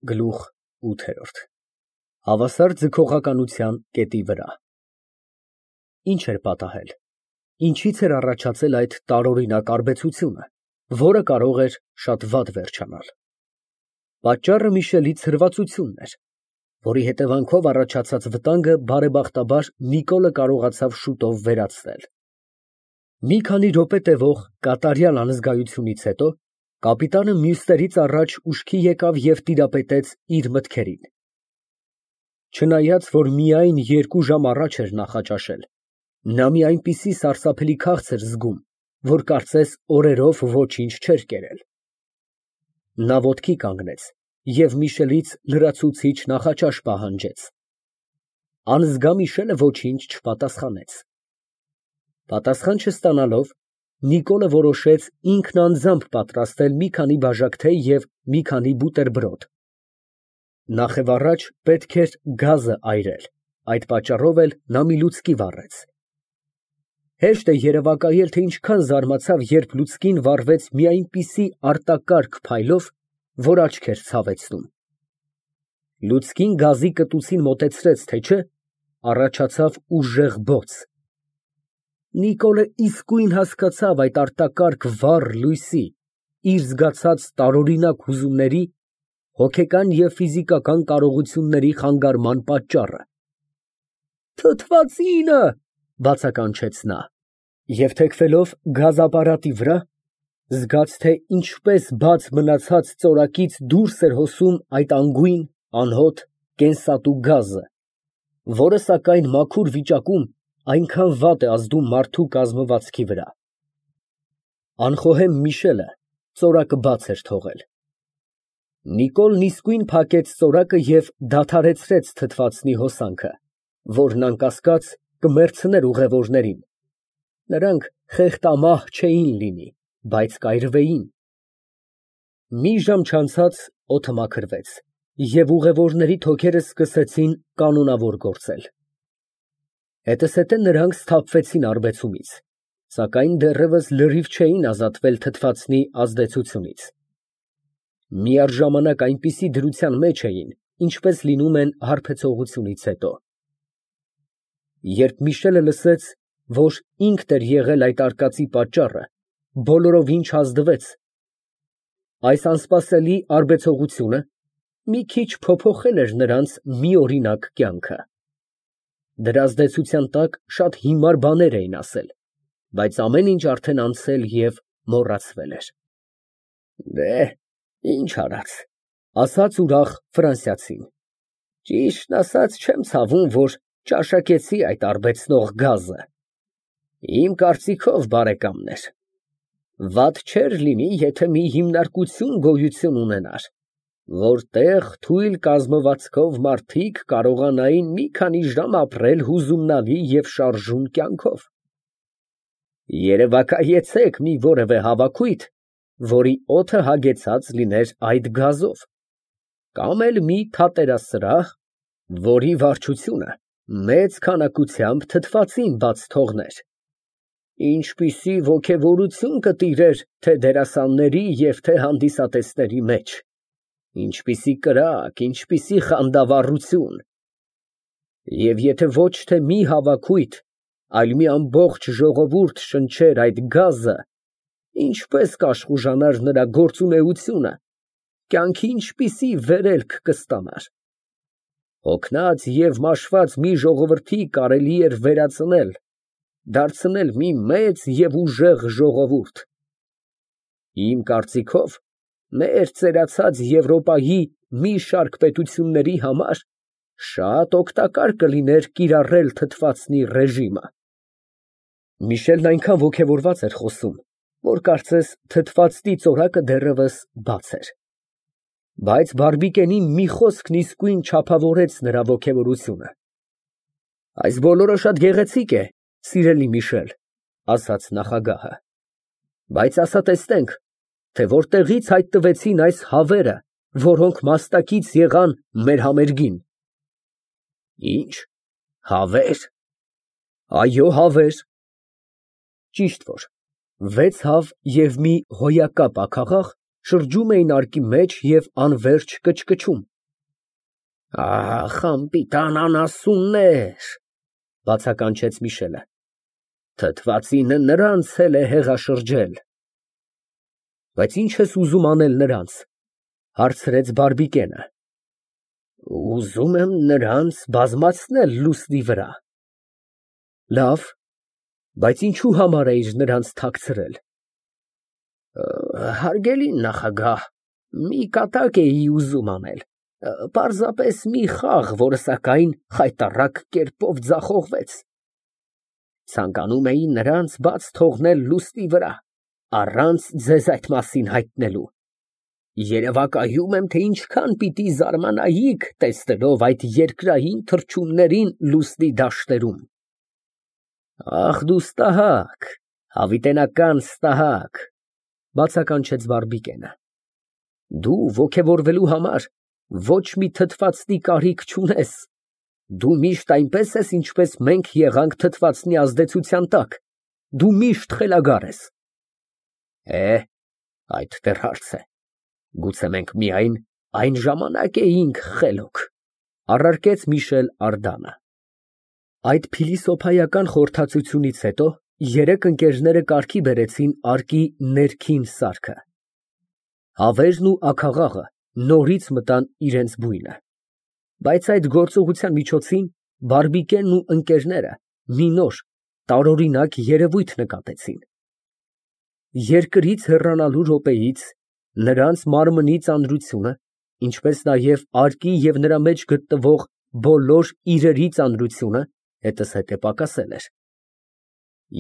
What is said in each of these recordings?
Գլուխ ՈՒԹԵՐՈՐԴ Հավասար ձգողականության կետի վրա։ Ինչ էր պատահել, ինչից էր առաջացել այդ տարօրինակ արբեցությունը, որը կարող էր շատ վատ վերջանալ։ Պատճառը Միշելի ցրվածությունն էր, որի հետևանքով առաջացած վտանգը բարեբախտաբար Նիկոլը կարողացավ շուտով վերացնել։ Մի քանի րոպե տևող կատարյալ անզգայությունից հետո կապիտանը մյուսներից առաջ ուշքի եկավ և տիրապետեց իր մտքերին։ Չնայած, որ միայն 2 ժամ առաջ էր նախաճաշել, նա մի այնպիսի սարսափելի քաղց էր զգում, որ կարծես օրերով ոչինչ չէր կերել։ Նա ոտքի կանգնեց և Միշելից լրացուցիչ նախաճաշ պահանջեց։ Անզգա Միշելը ոչինչ չպատասխանեց։ Պատասխան չստանալով, Նիկոլը որոշեց ինքն անձամբ պատրաստել մի քանի բաժակ թեյ և մի քանի բուտերբրոդ։ Նախևառաջ պետք էր գազը այրել, այդ պատճառով էլ նա մի լուցկի վառեց։ Հեշտ է երևակայել, թե ինչքան զարմացավ, երբ լուցկին վառվեց մի այնպիսի արտակարգ փայլով, որ աչքեր ցավեցնում։ Լուցկին գազի կտուցին մոտեցրեց, թե չէ, առաջացավ ուժեղ բոց։ Նիկոլը իսկույն հասկացավ այդ արտակարգ վառ լույսի, իր զգացած տարօրինակ հուզումների, հոգեկան և ֆիզիկական կարողությունների խանգարման պատճառը։ «Թթվածինը», բացականչեց նա, և թեքվելով գազապարատի վրա, զգաց, թե ինչպես բաց մնացած ծորակից դուրս էր հոսում այդ անգույն, անհոտ, կենսատու գազը, որը, սակայն, մաքուր վիճակում այնքան վատ է ազդում մարդու կազմվածքի վրա։ Անխոհեմ Միշելը ծորակը բաց էր թողել։ Նիկոլն իսկույն փակեց ծորակը և դադարեցրեց թթվածնի հոսանքը, որն անկասկած կմեռցներ ուղևորներին։ Նրանք խեղդամահ չէին լինի, բայց կայրվեին։ Մի ժամ չանցած օդը մաքրվեց, և ուղևորների թոքերը սկսեցին կանոնավոր գործել։ Հետզհետե նրանք սթափվեցին արբեցումից, սակայն դեռևս լրիվ չէին ազատվել թթվածնի ազդեցությունից։ Միառժամանակ այնպիսի դրության մեջ էին, ինչպես լինում են հարբեցողությունից հետո։ Երբ Միշելը լսեց, որ ինքն էր եղել այդ արկածի պատճառը, բոլորովին չազդվեց։ Այս անսպասելի արբեցողությունը մի քիչ փոփոխել էր նրանց միօրինակ կյանքը։ Դրա ազդեցության տակ շատ հիմար բաներ էին ասել, բայց ամեն ինչ արդեն անցել և մոռացվել էր։ Ինչ արած, ասաց ուրախ ֆրանսիացին, ճիշտն ասած չեմ ցավում, որ ճաշակեցի այդ արբեցնող գազը։ Իմ կարծիքով, բարեկամներ, վատ չէր լինի, եթե մի հիմնարկություն գոյություն ունենար, որտեղ թույլ կազմվածքով մարդիկ կարողանային մի քանի ժամ ապրել հուզումնալի և շարժուն կյանքով։ Երևակայեցեք մի որևէ հավաքույթ, որի օդը հագեցած լիներ այդ գազով, կամ էլ մի թատերասրահ, որի վարչությունը մեծ քանակությամբ թթվածին բաց թողներ, ինչպիսի ոգևորություն կտիրեր թե դերասանների և թե հանդիսատեսների մեջ, ինչպիսի կրակ, ինչպիսի խանդավառություն։ Եվ եթե ոչ թե մի հավաքույթ, այլ մի ամբողջ ժողովուրդ շնչեր այդ գազը, ինչպես կաշխուժանար նրա գործունեությունը, կյանքի ինչպիսի վերելք կստանար։ Հոգնած և մաշված մի ժողովրդի կարելի էր վերածնել, դարձնել մի մեծ և ուժեղ ժողովուրդ։ Իմ կարծիքով, մեր ծերացած Եվրոպայի մի շարք պետությունների համար շատ օգտակար կլիներ կիրառել թթվածնի ռեժիմը։ Միշելն այնքան ոգևորված էր խոսում, որ կարծես թթվածնի ծորակը դեռևս բաց էր։ Բայց բարբիկենի մի խոսքն իսկույն չափավորեց նրա ոգևորությունը։ Այս բոլորը շատ գեղեցիկ է, սիրելի Միշել, ասաց նախագահը, բայց ասա տեսնենք, թե որտեղի՞ց հայտնվեցին այս հավերը, որոնք մաստակից եղան մեր համերգին։ Ինչ, հավե՞ր։ Այո, հավեր։ Ճիշտ որ 6 հավ և մի հոյակապ աքաղաղ շրջում էին արկի մեջ և անվերջ կչկչում։ Ահ, անպիտան անասուններ, բացականչեց Միշելը։ Թթվածինը նրանց էլ է հեղաշրջել։ Բայց ինչ ես ուզում անել նրանց, հարցրեց Բարբիկենը։ Ուզում եմ նրանց բազմացնել լուսնի վրա։ Լավ, բայց ինչու համար էիր նրանց թաքցրել։ Հարգելի նախագահ, մի կատակ էի ուզում անել, պարզապես մի խաղ, որը սակայն խայտառակ կերպով ձախողվեց։ Ցանկանում էի նրանց բաց թողնել լուսնի վրա, առանց ձեզ այդ մասին հայտնելու։ Երևակայում եմ, թե ինչքան պիտի զարմանայիք, տեսնելով այդ երկրային թռչուններին լուսնի դաշտերում։ Ախ, դու ստահակ, հավիտենական ստահակ, բացականչեց Բարբիկենը։ Դու ոգևորվելու համար ոչ մի թթվածնի կարիք չունես։ Դու միշտ այնպես ես, ինչպես մենք եղանք թթվածնի ազդեցության տակ։ Դու միշտ խելագար ես։ Այդ դեռ հարց է։ Գուցե մենք միայն այն ժամանակ էինք խելոք, առարկեց Միշել Արդանը։ Այդ փիլիսոփայական խորհրդածությունից հետո երեք ընկերները կարգի բերեցին արկի ներքին սարքը։ Հավերն ու աքաղաղը նորից մտան իրենց բույնը։ Բայց այդ գործողության միջոցին Բարբիկենն ու ընկերները մի նոր, տարօրինակ երևույթ նկատեցին։ Երկրից հեռանալու րոպեից նրանց մարմնի ծանրությունը, ինչպես նաև արկի և նրա մեջ գտնվող բոլոր իրերի ծանրությունը հետզհետե պակասել էր։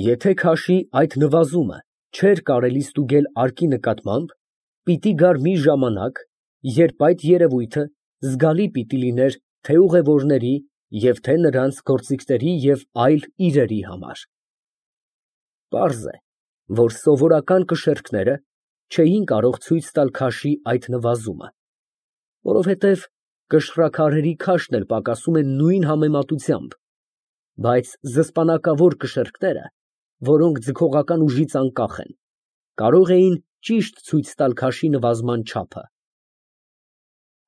Եթե քաշի այդ նվազումը չէր կարելի ստուգել արկի նկատմամբ, պիտի գար մի ժամանակ, երբ այդ երևույթը զգալի պիտի լիներ թե ուղևորների և թե նրանց գործիքների և այլ իրերի համար։ Պարզ է, որ սովորական կշեռքները չէին կարող ցույց տալ քաշի այդ նվազումը, որովհետև կշռաքարերի քաշն էլ պակասում է նույն համեմատությամբ, բայց զսպանակավոր կշեռքները, որոնք ձգողական ուժից անկախ են, կարող էին ճիշտ ցույց տալ քաշի նվազման չափը։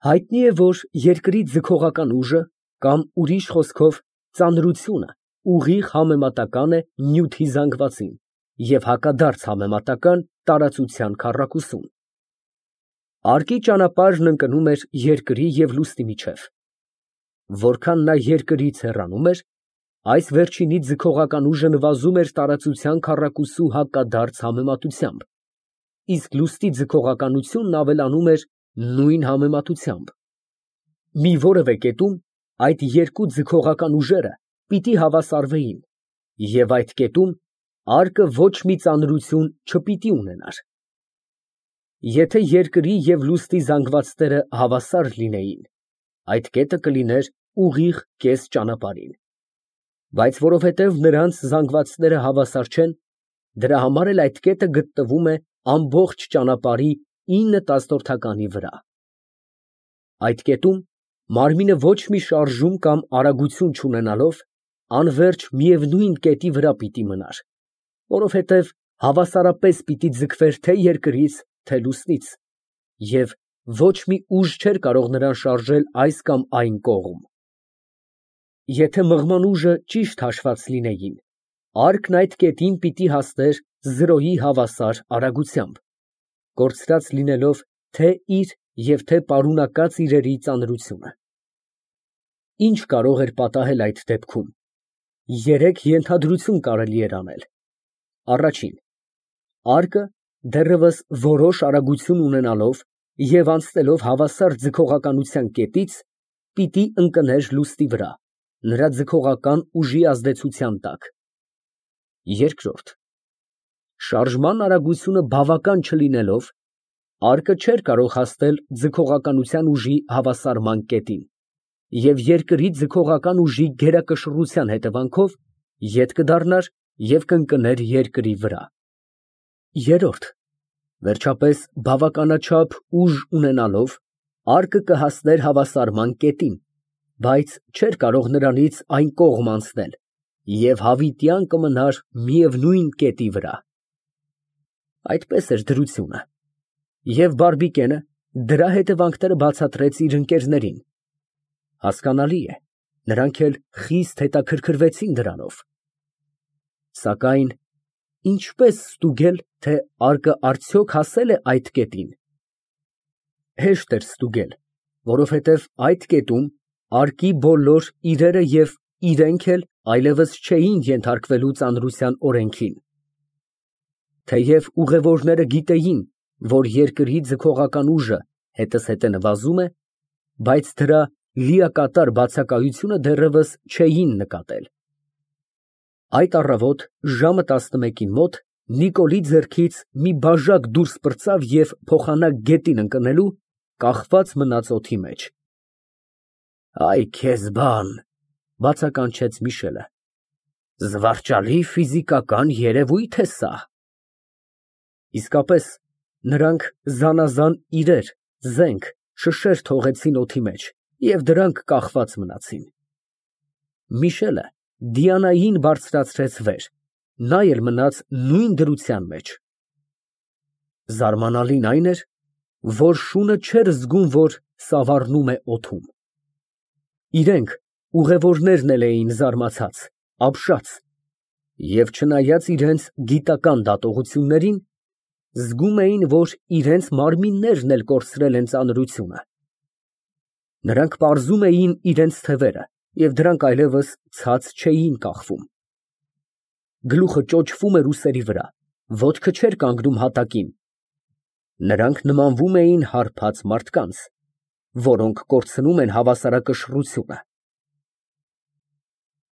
Հայտնի է, որ երկրի ձգողական ուժը, կամ ուրիշ խոսքով ծանրությունը, ուղիղ համեմատական է նյութի զանգվածին և հակադարձ համեմատական տարածության քառակուսուն։ Արկի ճանապարհն ընկնում էր երկրի և լուսնի միջև։ Որքան նա երկրից հեռանում էր, այս վերջինի ձգողական ուժը նվազում էր տարածության քառակուսու հակադարձ համեմատությամբ, իսկ լուսնի ձգողականությունն ավելանում էր նույն համեմատությամբ։ Մի որևէ կետում այդ երկու ձգողական ուժերը պիտի հավասարվեին, և այդ կետում արկը ոչ մի ծանրություն չպիտի ունենար։ Եթե երկրի և լուսնի զանգվածները հավասար լինեին, այդ կետը կլիներ ուղիղ կես ճանապարհին, բայց որովհետև նրանց զանգվածները հավասար չեն, դրա համար էլ այդ կետը գտնվում է ամբողջ ճանապարհի 9/10 վրա։ Այդ կետում մարմինը ոչ մի շարժում կամ արագություն չունենալով, անվերջ միևնույն կետի վրա պիտի մնար, որովհետև հավասարապես պիտի ձգվեր թե երկրից, թե լուսնից, և ոչ մի ուժ չէր կարող նրան շարժել այս կամ այն կողմ։ Եթե մղման ուժը ճիշտ հաշված լինեին, արկն այդ կետին պիտի հասներ 0-ի հավասար արագությամբ, կորցրած լինելով թե իր և թե պարունակած իրերի ծանրությունը։ Ինչ կարող էր պատահել այդ դեպքում։ Երեք ենթադրություն կարելի էր անել։ Առաջին, արկը դեռևս որոշ արագություն ունենալով և անցնելով հավասար ձգողականության կետից, պիտի ընկներ լուսնի վրա, նրա ձգողական ուժի ազդեցության տակ։ Երկրորդ, շարժման արագությունը բավական չլինելով, արկը չէր կարող հասնել ձգողականության ուժի հավասարման կետին և երկրի ձգողական ուժի գերակշռության հետևանքով ետ կդառնար և կընկներ երկրի վրա։ Երրորդ, վերջապես բավականաչափ ուժ ունենալով, արկը կհասներ հավասարման կետին, բայց չէր կարող նրանից այն կողմ անցնել և հավիտյան կմնար միևնույն կետի վրա։ Այդպես էր դրությունը, և Բարբիկենը դրա հետևանքները բացատրեց իր ընկերներին։ Հասկանալի է, նրանք էլ խիստ հետաքրքրվեցին դրանով։ Սակայն ինչպես ստուգել, թե արկը արդյոք հասել է այդ կետին։ Հեշտ էր ստուգել, որովհետև այդ կետում արկի բոլոր իրերը և իրենք էլ այլևս չէին ենթարկվելու ծանրության օրենքին։ Թեև ուղևորները գիտեին, որ երկրի ձգողական ուժը հետզհետե նվազում է, բայց դրա լիակատար բացակայությունը դեռևս չէին նկատել։ Այդ առավոտ ժամը 11-ին մոտ Նիկոլի ձեռքից մի բաժակ դուրս պրծավ և փոխանակ գետին ընկնելու կախված մնաց օդի մեջ։ «Այ քեզ բան», բացականչեց Միշելը, «զվարճալի ֆիզիկական երևույթ է սա»։ Իսկապես, նրանք զանազան իրեր, զենք, շշեր թողեցին օդի մեջ և դրանք կախված մնացին։ Միշելը Դիանային բարձրացրեց վեր, նա էլ մնաց նույն դրության մեջ։ Զարմանալին այն էր, որ շունը չէր զգում, որ սավառնում է օդում։ Իրենք, ուղևորներն էլ էին զարմացած, ապշած և չնայած իրենց գիտական դատողություններին, զգում էին, որ իրենց մարմիններն էլ կորցրել են ծանրությունը։ Նրանք պարզում էին իրենց թևերը և դրանք այլևս ցած չէին կախվում։ Գլուխը ճոճվում էր ուսերի վրա, ոտքը չէր կանգնում հատակին։ Նրանք նմանվում էին հարբած մարդկանց, որոնք կորցնում են հավասարակշռությունը։